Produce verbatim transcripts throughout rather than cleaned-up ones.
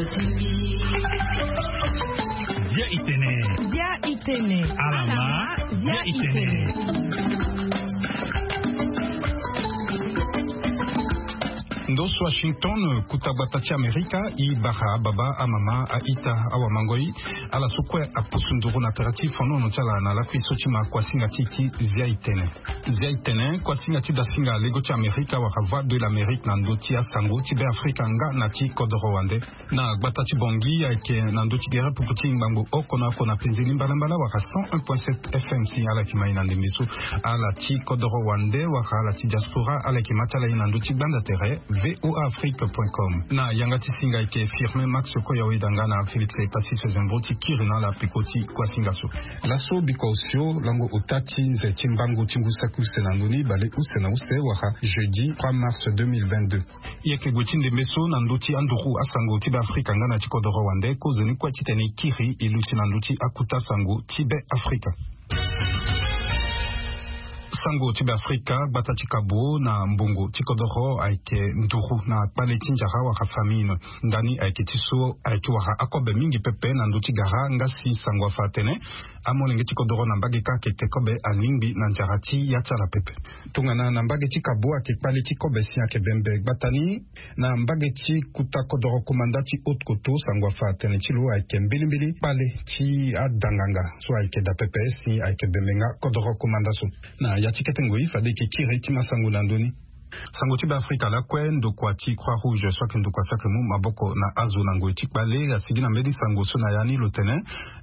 Bia itene. Bia itene. Alama. Bia itene. Ndo so Washington, kuta gbata ti Amerika, i bara ababa, amama, a-ita, awamangoi, ala so kue apusu nduru na tere ti fonono ti ala na lakui so ti ma kuasinga ti ti Zia itene. Zia itene, kuasinga ti dasinga lego ti Amerika wala Voix de l'Amérique na ndö ti asango ti Be Afrika nga na ti kodoro wande. Na gbata ti Bangui ayeke na ndö ti gere pupu ti ngbangbo oko na oko na penze ni mbalambala wala cent un point sept F M si ala yeke ma e na ndembe so. Ala ti kodoro wande wala ala ti diaspora ala yeke ma ti ala e na ndö ti gbanda tere V O A Afrique point com. Na yanga ti singa ayeke Firmin Max Koyawe Danga na Félix Passy Sezembro ti kiri na ala peko ti kuasinga so. Laso biko osio lango ota ti nze ti mbango ti ngu saki use na ndö ni bale use na use wala jeudi trois mars deux mille vingt-deux. E yeke gue ti ndembe so na ndö ti anduru asango ti Be Afrika nga na ti kodoro wande, kozoni kue titene e kiri e luti na ndö ti akuta sango ti Be Afrika. Sango ti Be Afrika, gbata ti Kabo na mbongo ti kodoro ayeke nduru na kpale ti njara wala famine. Ndani ayeke ti so ayeke wara akobe mingi pepe na ndö ti gara nga si sango afa atene amolenge ti kodoro na mbage kâ ayeke te kobe alingbi na njara ti ya ti ala pepe. Tongana na mbage ti Kabo ayeke kpale ti kobe si ayeke bembe gbata ni, na mbage ti kuta kodoro komanda ti Haute-Kotto sango afa atene ti lo ayeke mbilimbili kpale ti adanganga so ayeke daa pepe si ayeke bembe nga kodoro komanda so. Na ya ti kete ngoi fade e yeke kiri ti ma sango na ndö ni. Sango ti Be Afrika lakue, ndokua ti Croix Rouge so ayeke ndokua so ayeke mu maboko na azo na ngoi ti kpale asigi na mbeni sango so na ya ni lo tene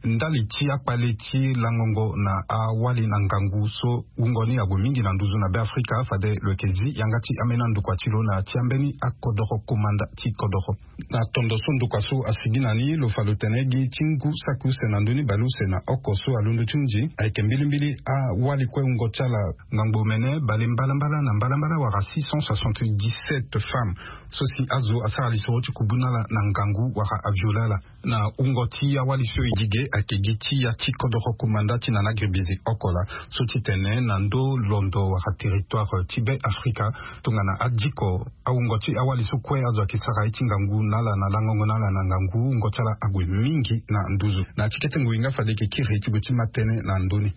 ndali ti akpale ti langongo na awali na ngangu so wungo ni ague mingi na nduzu na Be Afrika, fade lo yeke zi yanga ti ambeni andokua ti lo na ya ti ambeni akodoro komanda ti kodoro. Na tondo so ndokua so asigi na ni, lo fa lo tene gi ti ngu saki use na ndö ni bale use na oko so alondo ti hunzi ayeke mbilimbili awali kue wungo ti ala. Ngangu omene bale mbalambala na mbalambala wala six cent soixante-dix-sept femmes so si azo asara lisoro ti kubu na ala na ngangu wala aviole ala. Na wungo ti awali so e gi ge ayeke gi ti ya ti kodoro komanda ti Nana Gribizi oko laa so ti tene na ndö londo wala territoire ti Be Afrika, tongana adiko awungo ti awali so kue azo ayeke sara ye ti ngangu na ala na langongo na ala na ngangu, wungo ti ala ague mingi na nduzu. Na ya ti kete ngoi nga fade e yeke kiri ti gue ti ma tënë na ndö ni.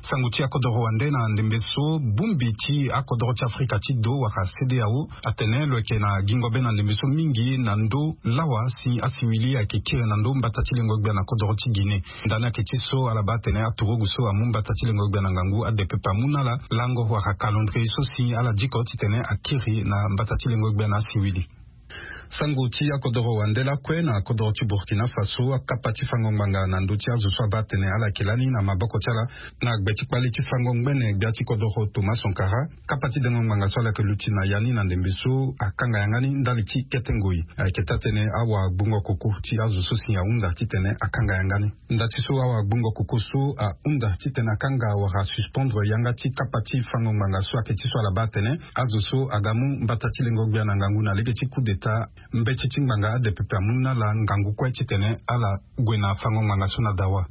Sango ti akodoro wande na ndembe so, bongbi ti akodoro ti Afrika ti do wala CEDEAO atene lo yeke na gingo be na ndembe so mingi na ndö lawa si asiwili ayeke kiri na ndö mbata ti lengo gbia na kodoro ti Guinée. Ndani ayeke ti so ala baa atene aturugu so amu mbata ti lengo gbia na ngangu ade pepe amu na ala lango wala calendrier so si ala diko titene akiri na mbata ti lengo gbia na asiwili. Sango ti akodoro wande lakue na kodoro ti Burkina Faso, akapa ti fango ngbanga na ndö ti azo so abaa atene ala yeke lani na maboko ti ala na gbe ti kpale ti fango ngbene gbia ti kodoro Thomas Sankara. Kapa ti dengo ngbanga so ala yeke luti na ya ni na ndembe so akanga yanga ni ndali ti kete ngoi. Ayeke taa-tënë awagbungo koko ti azo so si ahunda titene akanga yanga ni. Nda ti so awagbungo koko so ahunda titene akanga wala asuspendre yanga ti kapa ti fango ngbanga so ayeke ti so ala baa atene azo so aga mu mbata ti lengo gbia na ngangu na lege ti coup d'état, mbeti ti ngbanga ade pepe amu na ala ngangu kue titene ala gue na fango ngbanga so na dawa.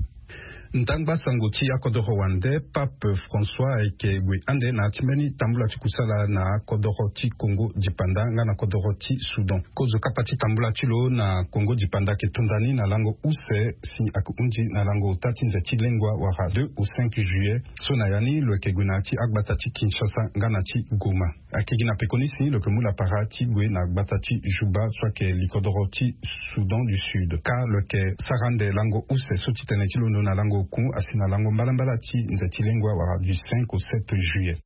Ndangba sango ti akodoro wande, Pape François ayeke gue ande na ya ti mbeni tambula ti kusala na kodoro ti Congo dipanda nga na kodoro ti Soudan. Kozo kapa ti tambula ti lo na Congo dipanda ayeke to nda ni na lango use si ayeke hunzi na lango ota ti nze ti lengua wala deux au cinq juillet so na ya ni lo yeke gue na ya ti agbata ti Kinshasa nga na ti Goma. Ayeke gi na pekoni si lo yeke mu lapara ti gue na gbata ti Juba so ayeke likodoro ti Soudan du Sud. Kâ lo yeke sara ande lango use so ti tene ti londo na lango oku asi na lango mbalambala ti nze ti lengua wala du cinq au sept juillet.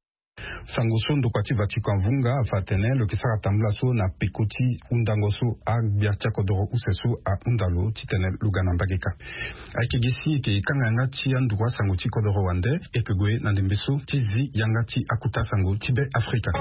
Sango so ndokua ti Vatican avunga afa atene lo yeke sara tambula so na peko ti hundango so agbia ti akodoro use so ahunda lo titene lo ga na mbage kâ. Ayeke gi si e yeke kanga yanga ti anduru asango ti kodoro wande, e yeke gue na ndembe so ti zi yanga ti akuta sango ti Be Afrika.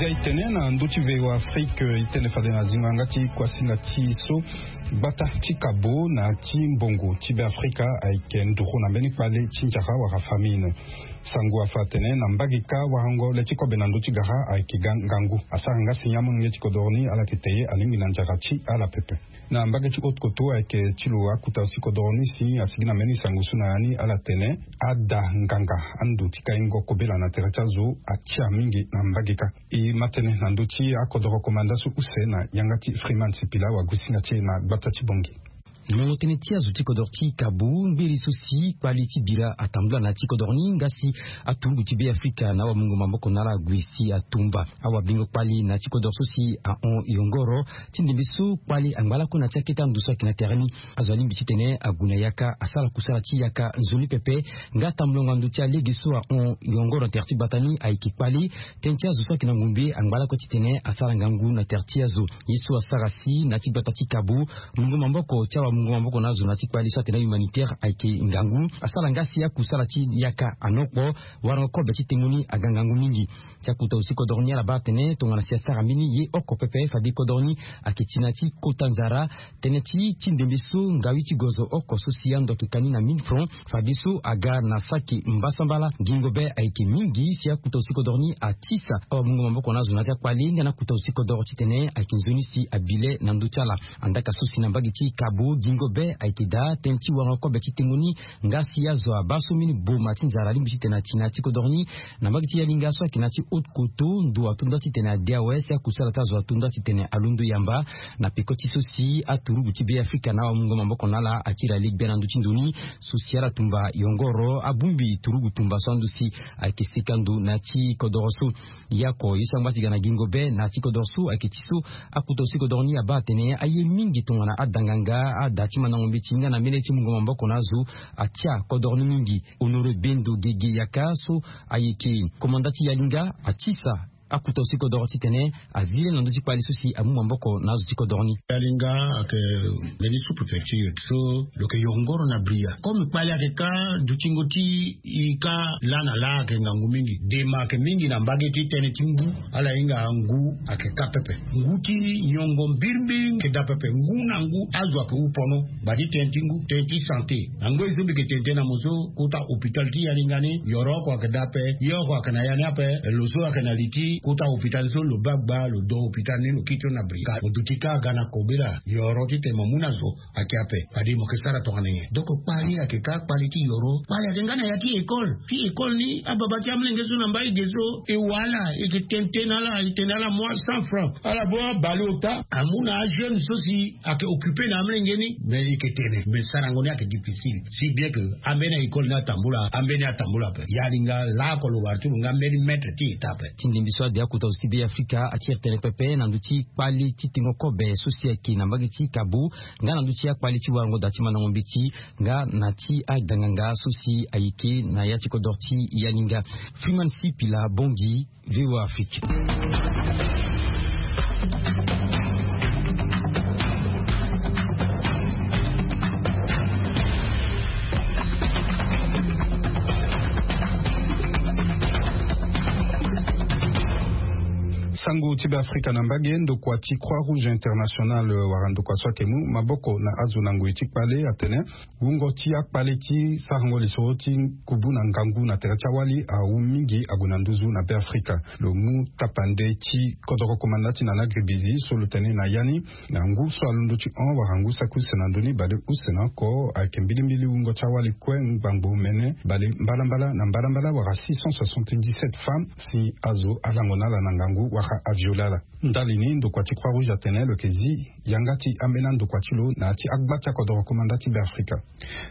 Zia e tene na ndö ti V O A Afrique, e tene fade na zingo yanga ti kuasinga ti so. Gbata ti kabo na ti mbongo ti Beafrika ayeke nduru na mbeni kpale ti njara wala famine. Sango afa atene na mbage kâ warango le ti kobe na ndö ti gara ayeke ga ngangu. Asara nga si amolenge ti kodoro ni ala yeke te ye alingbi na njara ti ala pepe. Na mbage ti haute koto ayeke ti lo akuta si kodoro ni si asigi na mbeni sango so na ya ni ala tene ada nganga ando ti kaingo kobela na tere ti azo atia mingi na mbage kâ. E ma tene na ndö ti akodoro komanda so use na yanga ti Freeman Sipila wagosinga ti e na gbata ti Bongi. Molongo tënë ti azo ti kodoro ti kabo, mbiri so si kpali ti bira atambula na ya ti kodoro ni nga si aturugu ti Beafrika na awamungo maboko na ala ague si atumba awabingo kpali na ya ti kodoro so si ahon yongoro ti ndembe so kpali angba lakue na ya ti akete ando so ayeke na tere ni. Azo alingbi titene ague na yaka asara kusala ti yaka nzoni pepe. Nga atambulanga ndo ti alege so ahon yongoro na tere ti gbata ni ayeke kpali. Tënë ti azo so ayeke na ngumbe angba lakue titene asara ngangu na tere ti azo. Ye so asara si na ya ti gbata ti kabo, mungo maboko ti awamungo maboko na azo na ya ti kpali so atene ahumanitaire ayeke ngangu. Asara nga si akusala ti yaka anokpo. Warango kobe ti tengo ni aga ngangu mingi. Ti akuta aussi kodoro ni ala baa atene tongana si asara mbeni ye oko pepe fade kodoro ni ayeke ti na ya ti kota nzara. Tënë ti ti ndembe so ngawi ti gozo oko so si ando ayeke ka ni na mine franc. Fadeso aga na saki mbasambala. Ngingo be ayeke mingi si akuta aussi kodoro ni atisa awamungo maboko na azo na ya ti akpale nga na akuta aussi kodoro titene ayeke nzoni si abi le na ndö ti ala. Andaka so si na mbage ti kabo ngingo be ayeke daa tënë ti warango kobe ti tengo ni. Nga si azo abaa so mbeni boma ti nzara alingbi titene ati na ya ti kodoro ni. Na mbage ti yalinga so ayeke na ya ti haute koto ndo ato nda titene ade awe si akusala ti azo ato nda titene alondo yamba. Na peko ti so si aturugu ti Beafrika na awamungo maboko na ala akiri ale gbia na ndö ti ndo ni. So si ala tumba yongoro abongbi turugu tumba so ando si ayeke seka ndo na ya ti kodoro so. Ye oko ye so angba ti ga na gingo be na ya ti kodoro so ayeke ti so akuta aussi kodoro ni abaa atene aye mingi tongana ada nganga ada ti mandango mbeti nga na mbeni ti mungo maboko na azo. Atia kodoro ni mingi. Honoré Bendo Gege Yaka so ayeke komanda ti yalinga atisa akuta aussi kodoro titene azi le na ndö ti kpali so si amu maboko na azo ti kodoro ni. Yalinga ayeke mbeni sous-préfecture so lo yeke yongoro na bria comme kpali ayeke ka dutingo ti e ka laa na laa ayeke ngangu mingi. Dema ayeke mingi na mbage ti tënë ti ngu. Ala hinga ngu ayeke ka pepe. Ngu ti nyongo mbirimbiri ayeke daa pepe ngu na ngu azo ayeke hu pono. Bati tënë ti ngu tënë ti santé. Angoi so mbi yeke tene tënë na mo so kota hôpital ti yalinga ni yoro oko ayeke daa ape. Ye oko ayeke na ya ni ape. Lo so ayeke na li ti kota hôpital ni so lo baa gba lo do hôpital ni lo kiri ti lo na bri ka mo duti ka aga na kobela yoro titene mo mu na zo. Ayeke ape fade mo yeke sara tongana nyen? Donc kpali ayeke ka kpali ti yoro kpali ayeke nga na ya ti école ti école ni ababa ti amolenge so na mbai ge so e wa ala e yeke tene tënë na ala e tene ala mu a cent francs ala baa abale ota amu na ajeune so si ayeke occupe na amolenge ni. Mais e yeke tene mais sarango ni ayeke difficile si bien que ambeni a école ni atambula ambeni atambula ape yalinga laoko lo wara ti lo nga mbeni maître ti eta ape. Ti ndembi so ade akuta zo ti be afrika atiri tene pepe na ndö ti kpali ti tengo kobe so si ayeke na mbage ti kabo nga na ndö ti akpali ti warango daa ti mandango mbeti nga na ti aganganga so si ayeke na ya ti kodoro ti yalinga. Freeman Sipila Bongi, VOA Afrique. Sango ti be afrika na mbage ndokua ti croix rouge international wala ndokua so ayeke mu maboko na azo na ngoi ti kpale atene wungo ti akpale ti sarango lisoro ti kubu na ngangu na tere ti awali awu mingi ague na nduzu na be afrika. Lo mu tapande ti kodoro komanda ti nana gribizi so lo tene na ya ni na ngu so alondo ti hon wala ngu saki use na ndö ni bale use na oko ayeke mbilimbili wungo ti awali kue ngbangbo mene bale mbalambala na mbalambala wala six cent soixante-dix-sept femmes si azo alango na ala na ngangu wala aviole ala. Ndali ni ndokua ti croix rouge atene lo yeke zi yanga ti ambeni andokua ti lo na ya ti agba ti akodoro komanda ti be afrika.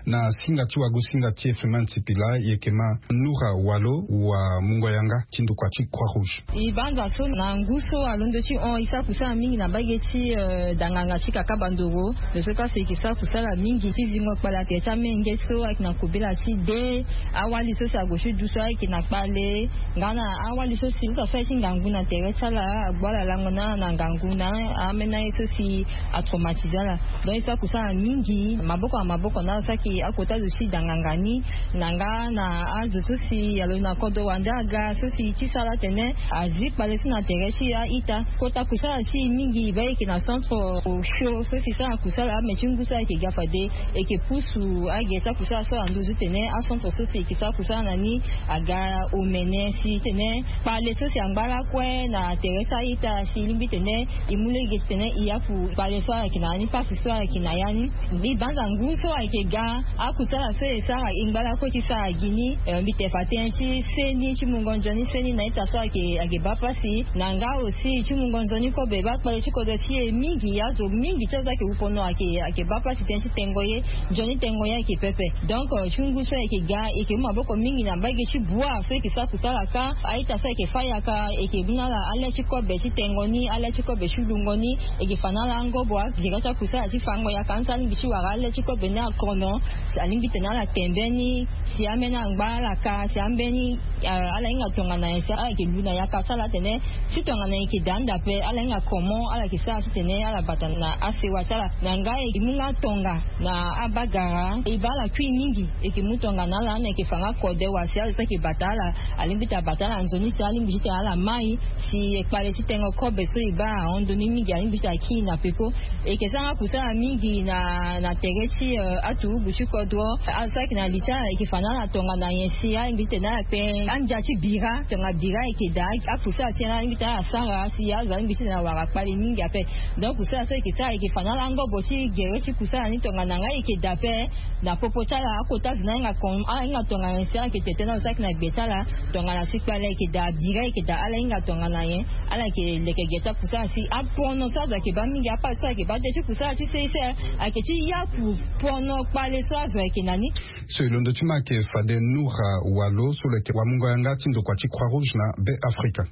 Na singa ti wagosinga ti efeman tipila e yeke ma nura walo wa mungo yanga ti ndokua ti croix rouge. E banza so na ngu so alondo ti hon e sara kusala mingi na mbage ti danganga ti kaka bandoro. Lo so kasi e yeke sara kusala mingi ti zingo kpale atere ti amenge so ayeke na kobela ti de awali so si ague ti du so ayeke na kpale nga na awali so si lo sa so aye ti ngangu na tere ti Ala agbu ala lango na ala na ngangu na amena ye so si atraumatise ala. Donc e sara kusala mingi maboko na maboko na ala so ayeke akota zo ti da nganga ni, na nga na azo so si alo na kodro wande aga so si ti sara atene azi kpale so na tere ti a-ita. Kota kusala ti e mingi e baa e yeke na centre osio so si sara kusala ame ti ngu so ayeke ga fade e yeke pusu age ti akusala so na nduzu titene acentre so si e yeke sara kusala na ni aga omene si titene kpale so si angba lakue na tere ti a-ita si e lingbi titene e mu lege titene e yaku kpale so ayeke na ya ni pasi so ayeke na ya ni. Mbi banza ngu so ayeke ga akusala so e sara e ngba lakue ti sara gi ni. Mbi te fa tënë ti seni ti mungo nzoni seni na ita so ayeke ayeke baa pasi na nga aussi ti mungo nzoni kobe baa kpale ti kodro ti e mingi azo mingi ti azo ayeke wu pono ayeke ayeke baa pasi tënë ti tengo ye. Nzoni tengo ye ayeke pepe. Donc ti ngu so ayeke ga e yeke mu maboko mingi na mbage ti bua so e yeke sara kusala kâ. A-ita so ayeke fâ yaka e yeke mu na ala ale ti kobe ti tengo ni ale ti kobe ti lungo ni. E yeke fa na ala angobo agere ti akusala ti fango yaka ni so alingbi ti wara ale ti kobe ni akono. Si alingbi tene ala tembe ni si ambeni angba ala kâ si ambeni ala hinga tongana nyen si ala yeke lu na yaka ti ala atene si tongana nyen e yeke daa nda ape ala hinga comment ala yeke sara titene ala bata na asewa ti ala. Na nga e yeke mu nga tonga na abagara e baa ala kui mingi. E yeke mu tongana ala na e yeke fa nga kode wa si ala so ayeke bata ala alingbi ti abata ala nzoni si alingbi titene ala mai si kpale ti tengo kobe so e baa ahon ndoni mingi alingbi titene aki na peko. E yeke sara nga kusala mingi na na tere ti aturugu ti kodro. Azo so ayeke na li ti ala e yeke fa na ala tongana nyen si alingbi titene ala kpe andia ti bira tongana bira e yeke daa akusala ti nyen alingbi titene ala sara si azo alingbi titene awara kpale mingi ape. Donc kusala so e yeke sara e yeke fa na ala angobo ti gere ti kusala ni tongana nga e yeke daa ape. Na popo ti ala akota zo ni ahinga tongana nyen si ala yeke tete na lo so ayeke na gbe ti ala tongana si kpale e yeke daa bira e yeke daa ala hinga tongana nyen. Ala yeke leke ge ti akusala si apono so azo ayeke baa mingi apasi so ayeke baa de ti kusala ti sese ayeke ti yaku pono kpale so azo ayeke na ni. So e londo ti ma ayeke fade Noura Walo so lo yeke wamungo yanga ti ndokua ti Croix Rouge na Be Afrika.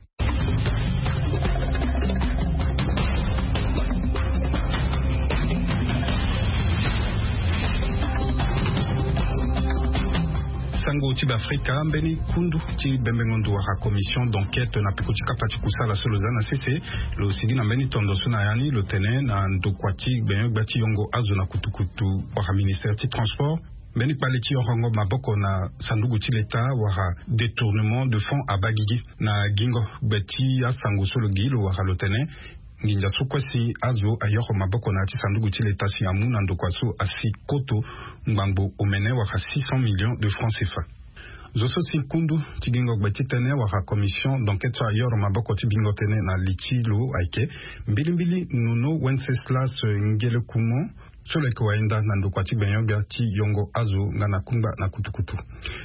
Sango ti Beafrika, mbeni kundu ti bembengo ndo wala commission d'enquête na peko ti kapa ti kusala so lo za na sese lo sigi na mbeni tondo so na ya ni lo tene na ndokua ti gbenyo-gbia ti yongo azo na kutukutu wala ministère ti transport, mbeni kpale ti yorongo maboko na sanduku ti leta wala détournement de fonds abaa gigi. Na gingo gbe ti asango so lo gi lo wara lo tene nginza so kue si azo ayoro maboko na ya ti sanduku ti leta si amu na ndokua so asi koto ngbangbo omene wara six cents millions de francs cfa. Zo so si kundu ti gingo gbe ti tënë wara commission d'enquête so ayoro maboko ti bingo tënë na li ti lo ayeke mbilimbili nono wenceslas ngelekumo so lo yeke wayenda na ndokua ti gbenyo-gbia ti yongo azo nga na kungba na kutukutu.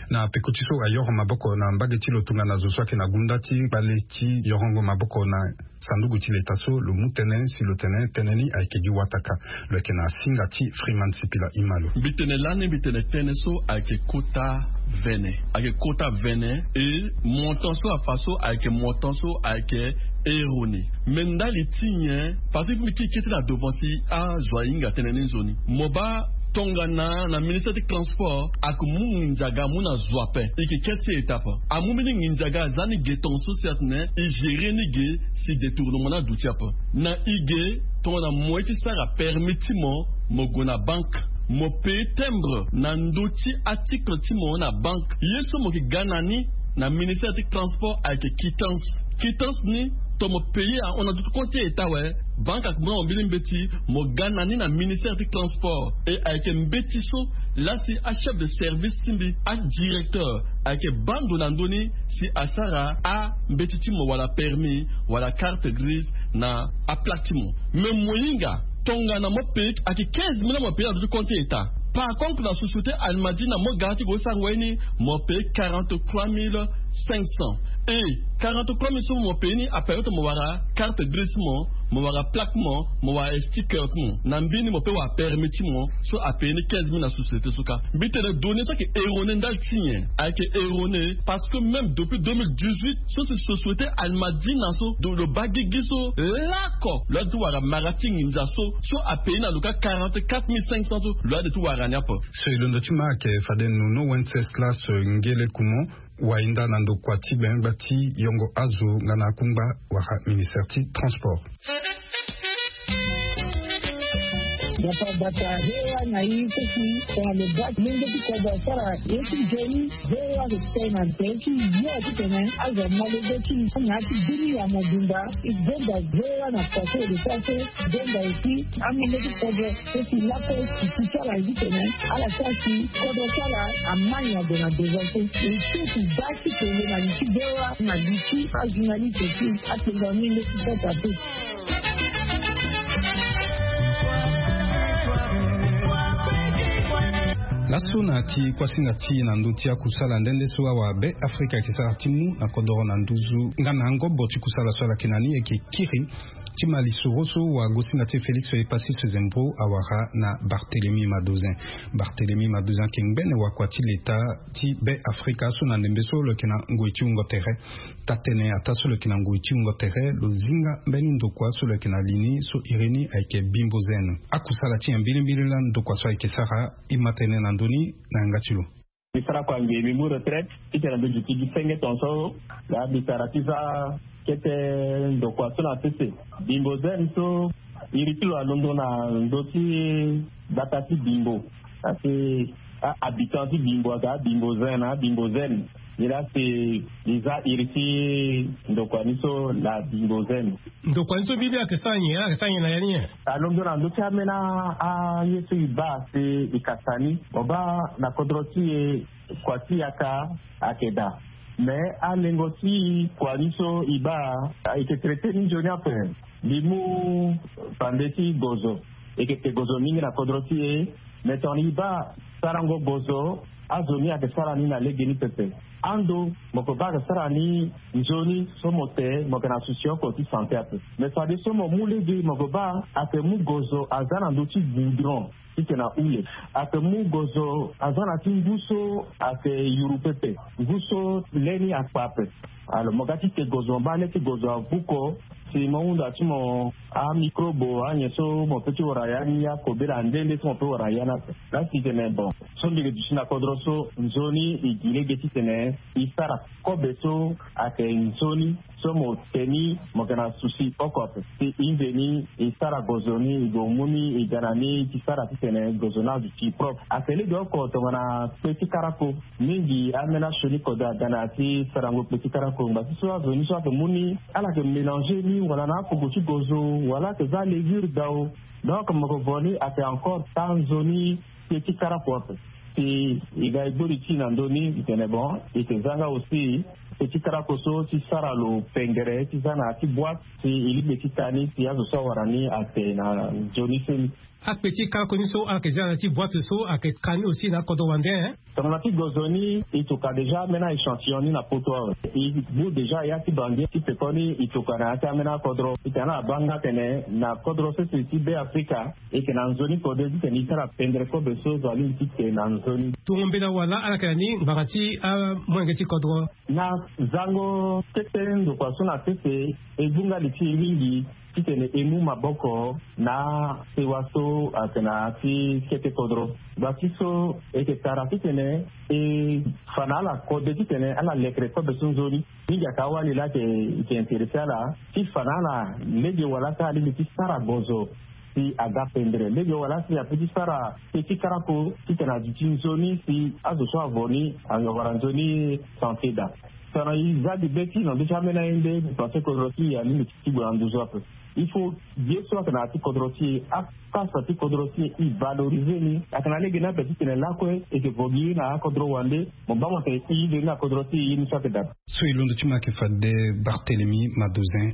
Na peko ti so ayoro maboko na mbage ti lo tongana zo so ayeke na gunda ti kpale ti yorongo maboko na sanduku ti leta so lo mu tënë si lo tene tënë ni ayeke gi wataka. Lo yeke na singa ti Freeman Sipila Imalo. Mbi tene lani mbi tene tënë so ayeke kota vene ayeke kota vene. E montant so afa so ayeke montant so ayeke eroni. Me ndali ti nyen? Parce que mbi kiri kiri ti na devant si azo ahinga tënë ni nzoni mo baa tongana na ministère ti transport ayeke mu nginza aga amu na zo ape. E yeke kete ti étape amu mbeni nginza aga aza ni ge tonga so si atene e gérer ni ge si détournement ni aduti ape. Na e ge tongana moyen ti sara permis ti mo mo gue na banque mo paye timbre na ndö ti article ti mo na banque ye so mo yeke ga na ni na ministère ti transport ayeke quittance. Quittance ni to mo paye ahon na duti compte ti état awe. Banque ayeke mu na mo mbeni mbeti mo ga na ni na ministère ti transport e ayeke mbeti so lasi achef de service ti mbi adirecteur ayeke baa ndo na ndö ni si asara ambeti ti mo wala permis wala carte grise na aplaque ti mo. Mais mo hinga tongana mo paye ayeke quinze mille mo paye na duti compte ti état. Par contre na société almadi na mo ga ti gue ti sara ngoi ni mo paye quarante-trois mille cinq cents. E quarante-trois mille so mo paye ni apériode mo wara carte grise ti mo. mo wara plaque mo, mo wara sticker ti mo na mbi ni, mo pe wara permis ti mo. So apaye ni quinze mille na société so kâ. Mbi tene données so ayeke erroné ndali ti nyen? Ayeke erroné parce que même depuis deux mille dix-huit so si société Almadina so, donc lo baa gigi so lako lo yade ti wara mara ti nginza so, so apaye ni na lo kâ quarante-quatre mille cinq cents so lo yade ti wara ni ape. So e londo ti ma ayeke fade Nono Wenceslas Ngele Kumo, wahinda na ndokua ti gbengba ti yongo azo nga na akungba wala ministère ti transport. Dapa bata V O A na i so si tongana lo baa lenge ti kodro asara ye ti nzoni, V O A ayeke tene na tere ti yo titene azo ama lege ti na ya ti bini ya mobimba. E gonda V O A na pase de pase, gonda aussi amolenge ti kodro so si lakue si ti ti ala ye titene ala sara si kodro ti ala ama nyango na devant so. E so si baa ti tene na li ti V O A na li ti ajournaliste ti atene na minde ti kota pe. Laso na ti kuasinga ti e na ndö ti akusala nde nde so awa Be Afrika ayeke sara ti mu na kodoro na nduzu nga na angobo ti kusala so ala yeke na ni ayeke kiri ti ma lisoro so wagosinga ti e Félix Epassis Zembro awara na Barthélemy Madozin. Barthélemy Madozin ayeke ngbene wakua ti leta ti Be Afrika so na ndembe so lo yeke na ngoi ti wungo tere. Taa-tënë ataa so lo yeke na ngoi ti wungo tere lo zi nga mbeni ndokua so lo yeke na li ni so iri ni ayeke Bimbo Zen. Akusala ti nyen mbilimbili laa ndokua so ayeke sara? E ma tënë na ndö ni na yanga ti lo. Mbi sara kua ngbia, mbi mu retraite titene mbi duti gi senge tongaso. Laa mbi sara ti za kete ndokua so na sese. Bimbo Zen so iri ti lo alondo na ndö ti gbata ti Bimbo. Asi a-habitant ti Bimbo aga Bimbo Zen na Bimbo Zen. Nilaa si e za iri ti ndokua ni so na Bimbo Zen. Ndokua ni so mbi ni ayeke sara nyen? Ala yeke sara nyen na ya ni nyen? Alondo na ndö ti ambeni aye so e baa si e kasa ni. Mo baa na kodro ti e kua ti yaka ayeke daa. Me alengo ti kua ni so e baa e yeke traité ni nzoni ape. Mbi mu pande ti gozo. E yeke te gozo mingi na kodro ti e. Me tongana e baa sarango gozo, azo ni ayeke sara ni na legeni pepe. Ando mo yeke baa ayeke sara ni nzoni so mo te mo yeke na susi oko ti santé ape. Me fadeso mo mu lege mo yeke baa ayeke mu gozo aza na ndö ti goudron titene ahule. Ayeke mu gozo aza na ti ngu so ayeke yuru pepe, ngu so le ni akpa ape. Alors mo ga ti te gozo mo baa le ti gozo avuko si mo hunda ti mo amicrobe anyen so mo pe ti wara ya ni akobela nde nde so mo pe wara ya ni ape. Laa si tene bon so mbi yeke duti na kodro so nzoni e gi lege titene e sara kobe so ayeke nzoni so mo te ni mo yeke na susi oko ape. Si e nze ni e sara gozo ni e gue mu ni e ga na ni ti sara titene gozo ni aduti propre. Ayeke lege oko tongana kpe ti karako. Mingi ambeni asioni kode aga na ya ti sarango kpe ti karako ngba ti so azo ni so ayeke mu ni ala yeke mélanger ni wala na akoko ti gozo wala ayeke za levure dao. Donc mo yeke vo ni ayeke encore taa nzoni kpe ti karako ape. Si e ga e gbori ti e na ndö ni e tene bon e yeke za nga aussi kpe ti karako so ti sara lo pengere ti za na ya ti boîte si e lingbi ti taa ni si azo so awara ni ate na nzoni so ni. Akpe ti karako ni so ala yeke za na ya ti boîte so ayeke ka ni aussi na akodro wande, hein? Tongana ti gozo ni e toka déjà ambeni échantillon ni na poto awe. E bu déjà ya ti bangi ti pekoni e toka na ya ti ambeni akodro. E tene ala baa nga tene na kodro sese ti Be Afrika e yeke na nzoni kode titene e sara pendre kobe so zo alingbi ti te na nzoni. Tongo mbela wala ala yeke na ni ngbanga ti amolenge ti kodro? Na zango kete ndokua so na sese e zu nga li ti e mingi titene e mu maboko na sewa so ayeke na ya ti kete kodro. Ngba ti so e yeke tara titene e fa na ala kode titene ala lekere kobe so nzoni. Mingi ayeke awali laa ayeke intéressé ala ti fa na ala lege wala si alingbi ti sara gozo si aga pendre, lege wala si ape ti sara kpe ti karako titene aduti nzoni si azo so avo ni awara nzoni santé daa. Tongana e za gi be ti e na ndö ti ambeni aye nde mbi pense kodro ti e alingbi ti gue na nduzu ape. Il faut ye so ayeke na ya ti kodro ti e, akasa ti kodro ti e, e valoriser ni. Ayeke na lege ni ape titene lakue e yeke vo gi na akodro wande. Mo baa mo tene e ye ni na kodro ti e, ye ni so ayeke daa. So e londo ti mo ayeke fade Barthélemy Madozin.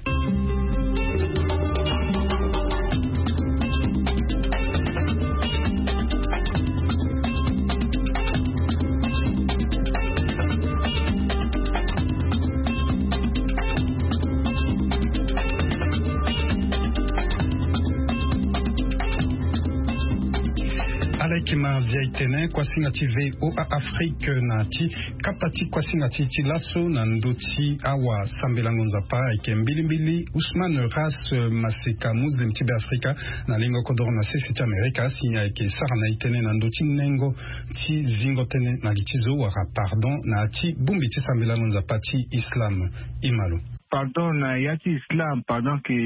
Ti ma zia etene kuasinga ti voa afrique na ti kapa ti kuasinga ti ti laso na ndö ti awa sambelango nzapa ayeke mbilimbili usman ras maseka muslim ti be afrika na lingo kodoro na sese ti amerika si ayeke sara na etene na ndö ti nengo ti zingo tënë na li ti zo wala pardon na ya ti bongbi ti sambelango nzapa ti islam. Imalo. Pardon na ya ti islam pardon ke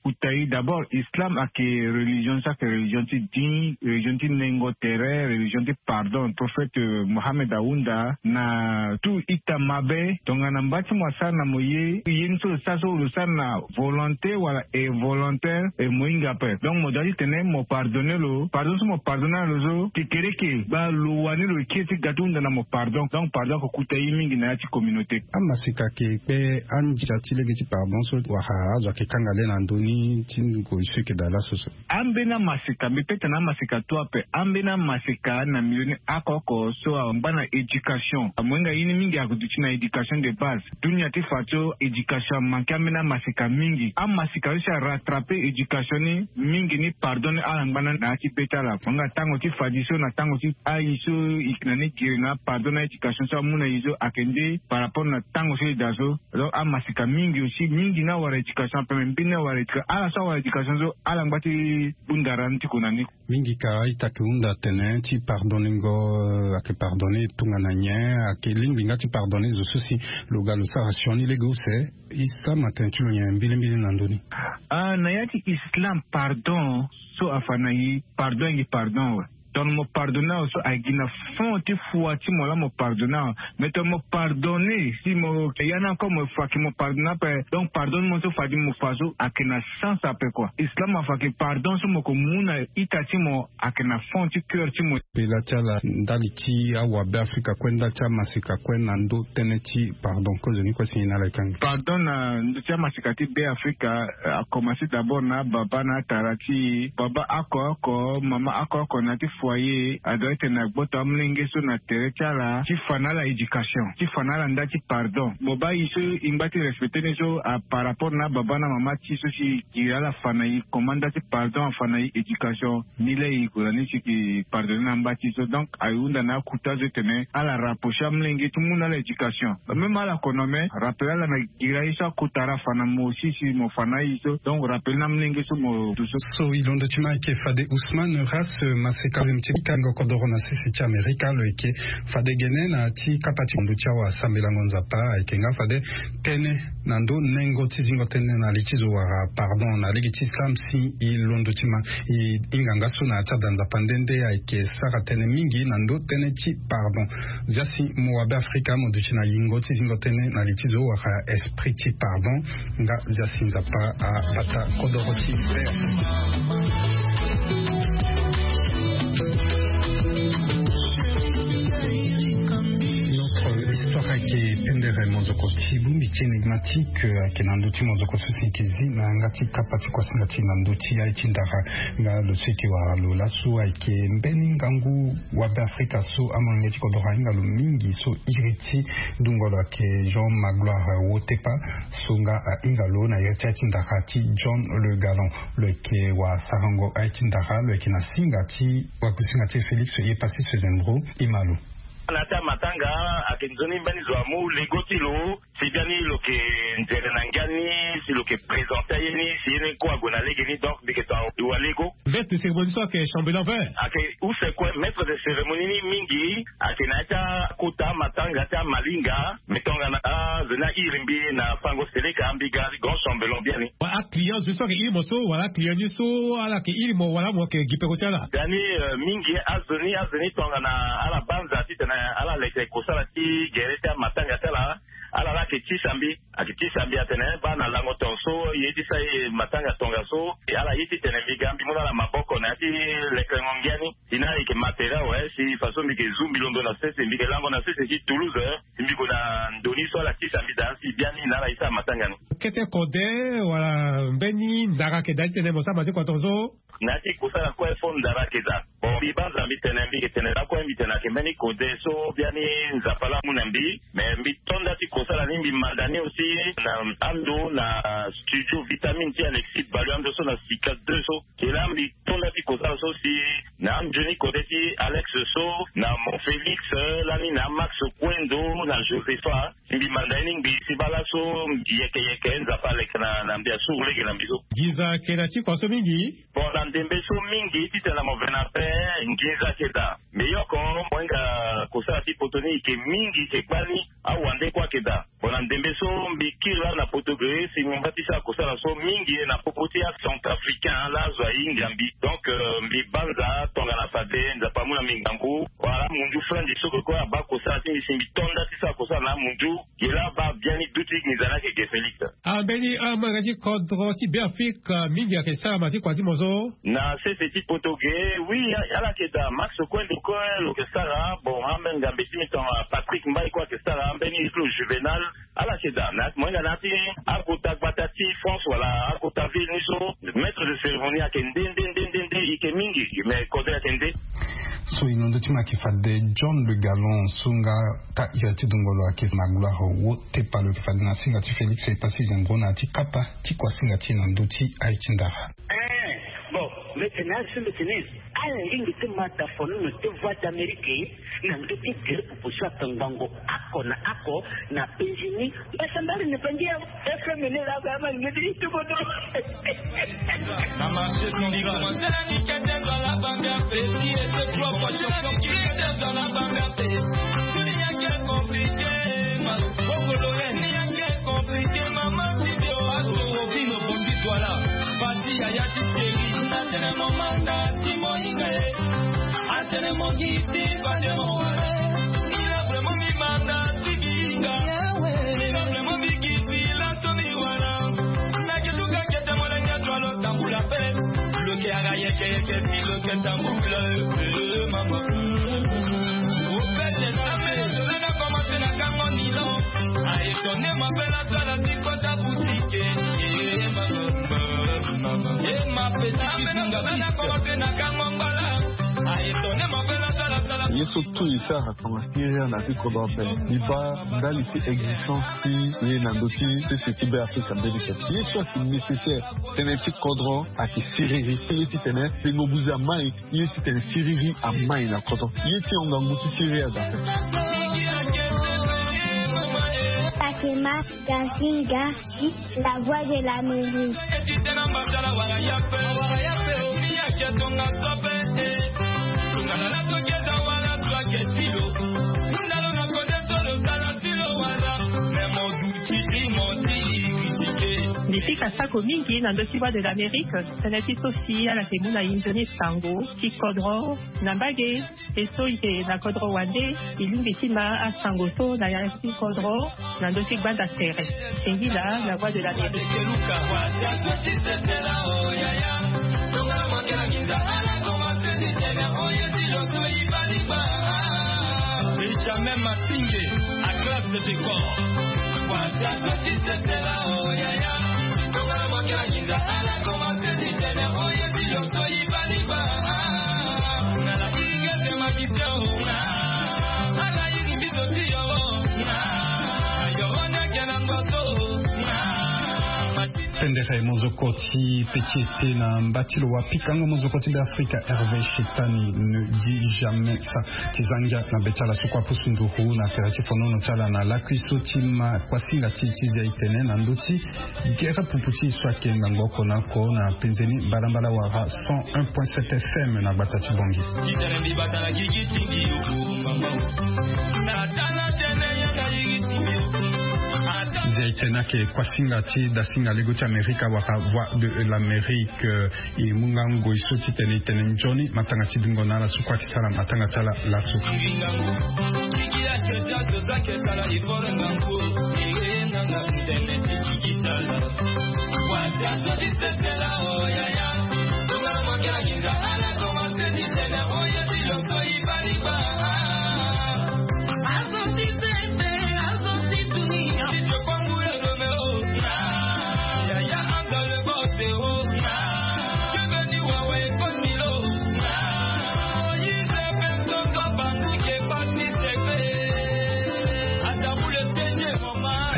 kuta i d'abord islam ayeke religion so ayeke religion ti din religion ti nengo tere religion ti pardon prophète mohammed ahunda na tout ita mabe tongana mba ti mo asara na mo ye ye ni so lo sara so lo sara na volonté wala involontaire e mo hinga ape donc mo doit ti tene mo pardonner lo pardon so mo pardonner na lo so kekereke baa lo wani lo kiri ti ga ti hunda na mo pardon donc pardon ako kuta ye mingi na ya ti communauté. Amaseka ayeke kpe andia ti lege ti pardon so wala azo ayeke kanga le na ndö ni ti ngu so eke daa laso so. Ambeni amaseka mbi pe tene amaseka tu ape ambeni amaseka na milieu ni oko oko so angba na éducation amohinga ye ni mingi ako duti na éducation de base. Dunia ti fa so éducation amanke ambeni amaseka mingi amaseka so si arattraper éducation ni mingi ni pardon ni ala ngba na na ya ti be ti ala amohinga tango ti fadi so na tango ti ayi so eke na ni giri na apardon na éducation so amu na ye so ayeke nde par rapport na tango so e daa so. Donc amaseka mingi aussi mingi ni awara éducation ape me mbeni ni awara éducation ala so awara éducation so ala ngba ti bunda ra ni ti ko na ni. Mingi ka a-ita ke hunda atene ti pardonningo ayeke pardonne tongana nyen ayeke lingbi nga ti pardonne zo so si lo ga lo sara sioni lege use. E sama tene ti lo nyen mbilimbili na ndö ni. Ah na ya ti islam pardon so afa na e pardon ayeke pardon awe. Tongana mo pardonne awe so ayeke gi na fond ti fua ti mo laa mo pardonne awe. Mais tongana mo pardonne si mo ya ni encore mo fa ke mo pardonne ape donc pardon ni mo so fadi mo fa so ayeke na sens ape kua islam afa ke pardon so mo ke mu na ita ti mo ayeke na fond ti coeur ti mo. Pela ti ala ndali ti awabe afrika kue ndali ti amaseka kue na ndö tënë ti pardon kozoni kue si nyen na ala e kanga. Pardon na ndö ti amaseka ti be afrika akomanse d'abord na ababa na atara ti e baba oko oko mama oko oko na ya ti foyer adua etene agboto amolenge so na tere ti ala ti fa na ala éducation ti fa na ala nda ti pardon mo baa e so e ngba ti respecter ni so par rapport na ababa na mama ti e so si e giri ala fa na e comment nda ti pardon afa na e éducation. Ni laa e gue na ni si eke pardonne na amba ti e so donc aye hunda na akuta so etene ala rapprocher amolenge ti mu na ala éducation même ala kono me rappele ala na gira ye so akota ala fa na mo si si mo fa na aye so donc rappele na amolenge so mo du so. So e londo ti ma ayeke fade ousmane ras maseka ti kango kodoro na sese ti amerika lo yeke fade gene na ti kapa ti kondo ti awa sambelango nzapa ayeke nga fade tënë na ndö nengo ti zingo tënë na li ti zo wala pardon na lege ti islam si e londo ti ma e hinga nga so na ya ti ada nzapa nde nde ayeke sara tënë mingi na ndö tënë ti pardon. Zia si mo wabe afrika mo duti na yingo ti zingo tënë na li ti zo wala esprit ti pardon. Nga zia si nzapa abata kodoro ti. Notre histoire ayeke pendere mozoko ti bongbi ti énigmatique ayeke na ndö ti mozoko so si eke zi na yanga ti kapa ti kuasinga ti na ndö ti aye ti ndara. Nga lo so eke wara lo laso ayeke mbeni ngangu wabe afrika so amolenge ti kodoro ahinga lo mingi so iri ti dungo lo ayeke jean magloire wotepa so nga ahinga lo na iri ti aye ti ndara ti john le galon. Lo yeke wasarango aye ti ndara lo yeke na singa ti wakusinga ti félix ye pasi sezembro. Ima lo. Na ya ti amatanga ayeke nzoni mbeni zo amu lego ti lo si biani lo yeke nzere na ngia ni si lo yeke présente aye ni si ye ni kue ague na lege ni donc mbi yeke tonga e wa lego. Veste cérémonie so ayeke chambellan vert ayeke use kue maître de cérémonie ni mingi ayeke na ya ti akota amatanga ti amalinga. Mbi tongana azo ni airi mbi na fango seleka mbi ga grand chambellan biani. Aclient zo so ayeke iri mo so wala aclient ni so ala yeke iri mo wala mo yeke gi peko ti ala. Dani mingi azo ni azo ni tongana ala banza titene ala leke kosala ti gere ti amatanga ti ala. Ala la ayeke tisa mbi ayeke tisa mbi atene baa na lango tongaso ye ti sa ye matanga tongaso. Ala ye titene mbi ga mbi mu na ala maboko na ya ti lekerengo ngia ni. Ina ayeke matériel awe si façon mbi yeke zu mbi londo na sese mbi yeke lango na sese ti toulouse. Si mbi gue na ndo ni so Ala tisa mbi daa si biani na ala ye sara matanga ni. Kete kode wala mbeni ndara ayeke daa ti tene mo sara ma ti kua tongaso? Na ya ti kosala kue fo ndara ayeke daa. Bon, mbi banza mbi tene, mbi yeke tene lakue, mbi tene ayeke mbeni kode so biani Nzapa laa amu na mbi. Me mbi to nda ti kosala ni, mbi manda ni aussi na ando na studio Vitamine ti Alexis Balu, ando so na Sika deux so. Ke laa mbi to nda ti kosala so si na anzoni kode ti Alex so, na Mon Félix, lani na Max Kuendo, na Josepha. Si mbi manda ye ni ngbii si baa laso, yeke yeke Nzapa aleke na, na mbi, asuru lege na mbi so. Nginza ayeke na ti kua so mingi? Bon, na ndembe so mingi titene na mo ve na ape, nginza ayeke daa. Mbi yoko, mo hinga kosala ti poto ni, e yeke mingi, e yeke kpale, awande kue ayeke daa. Bon, na ndembe so mbi kiri laa na poto ge, si mbi ngba ti sara kosala so mingi na popo ti acentrafricain laa azo ahinga mbi. Donc, euh, mbi banza tongana fade Nzapa amu na mbi ngangu. Wala amunzu franzi so kue abaa kosala ti mbi si mbi to nda ti sara kosala na amunzu. Ge laa abaa biani duti nginza ni ayeke ge Félix. Ah, mbeni, ah, amolenge ti kodro ti Beafrika mingi ayeke sara ma ti kua ti mo so? Na sese ti poto ge, oui, a-, ala yeke daa. Max Kuendo kue lo yeke sara. Bon, ambeni ngambe ti mbi tongana Patrick Mbaye kue ayeke sara. Ambeni ti lo Juvenal, ala yeke daa. Na, mo hinga na ya ti akota gbata ti France wala akota ville ni so, maître de cérémonie ayeke nde, nde, nde, nde, nde, e yeke mingi, me kodro ayeke nde. So e na ndö ti mo ayeke fade John Le Gallon so nga taa iri ti dungo lo ayeke na gloire wo tepa lo yeke fade na singa ti Félix e pasi zengo na ya ti kapa ti kuasinga ti e na ndö ti aye ti ndara. Eh, bon, mbi tene azo mbi tene ala lingbi ti ma da fono na ti Voix d'Amérique na ndö ti gere pupu so atongbango oko na oko na penzi ni. Mbasambari ni penzi ya F M ni la ba ma ni ti tubo do. Na marché Sandra. Ni kete dans la bande à petit et c'est trois fois champion qui kete dans la bande à petit. Ni ya ke compliqué, ma Congolais. Ni ya ke compliqué, maman ti bio. Azo Sofino Bondi Douala. Pati yaya ti Thierry. Atene mo manda ti mo hinga e. Atene mo gi ti fade mo wara. Ni la vraiment mi manda ti bi hinga. Ni la vraiment mi gi ti la to mi wara. Na ke tuka kete molenge ti lo tambula pe. Lo ke aga yeke yeke ti lo ke tambula, eh, mama. Au fait, na me, na commencé na kango ni lo. A étonné ma belle à toi, la ti kota boutique. Eh, mama, mama. Eh, ma petite, na commencé na kango mbala. A étonné ma belle à toi, la, la. Ye so tout e sara tongana siriri na ti kodro ape. E baa ndali ti existence ti ye na ndö ti sese ti Beafrika mbeni tene. Ye so ayeke nécessaire. Tënë ti kodro ayeke siriri. Ye titene tengo buze amai. Ye titene siriri amai na kodro. Ye ti hon ngangu ti siriri adaa. Fatima Gazinga, la voix de l'Amérique. Mbi fika sako mingi na ndö ti Voix de l'Amérique, tënë ti so si ala yeke mu na e nzoni sango ti kodro na mbage. E so e yeke na kodro wande, e lingbi ti ma asango so na ya ti kodro na ndö ti gbanda tere. Singila, la voix de l'Amérique. Benjamin Matinge, à classe de décor. Pendere mozoko ti petit été na mba ti lo wa pikango mozoko ti Beafrika Hervé Chetani ne dit jamais ça. Ti za ngia na be ti ala so kue apusu nduru na tere ti fonono ti ala na lakui so ti ma kuasinga ti e ti zia e tene na ndö ti gere pupu ti e so ayeke ngangu oko na oko na penzeni mbalambala wala cent un point sept F M na gbata ti Bangui. Zia e tene ayeke kuasinga ti dasinga lego ti Amerika wala Voix de l'Amérique. E mu nga ngoi so titene e tene nzoni matanga ti dungo na ala so kue ayeke sara matanga ti ala laso.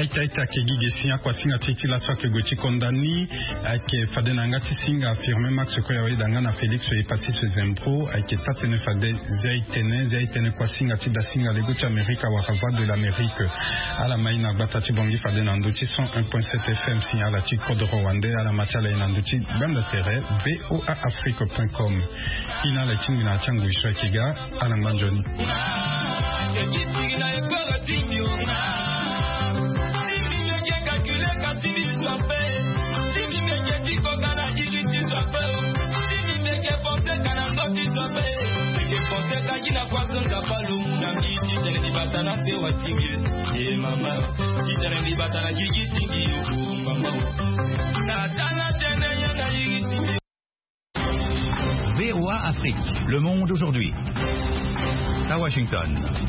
Aita aita ake gi ge si akuasinga ti e ti laso ake gue ti konda ni. Ake fade na yanga ti singa Firmin Max Koyawe da nga na Félix Epassis Zembro. Ake taa-tënë fade zia e tënë, zia e tënë kuasinga ti dasinga lego ti Amerika wala Voix de l'Amérique. Ala ma e na gbata ti Bangui fade na ndö ti cent un point sept F M, si ala ti kodro wande ala ma ti ala e na ndö ti gbanda tere V O A Afrique point com. Ina ala ti ngbi na ya ti angui so ake ga. Ala ngba nzoni. V O A Afrique, le monde aujourd'hui. À Washington.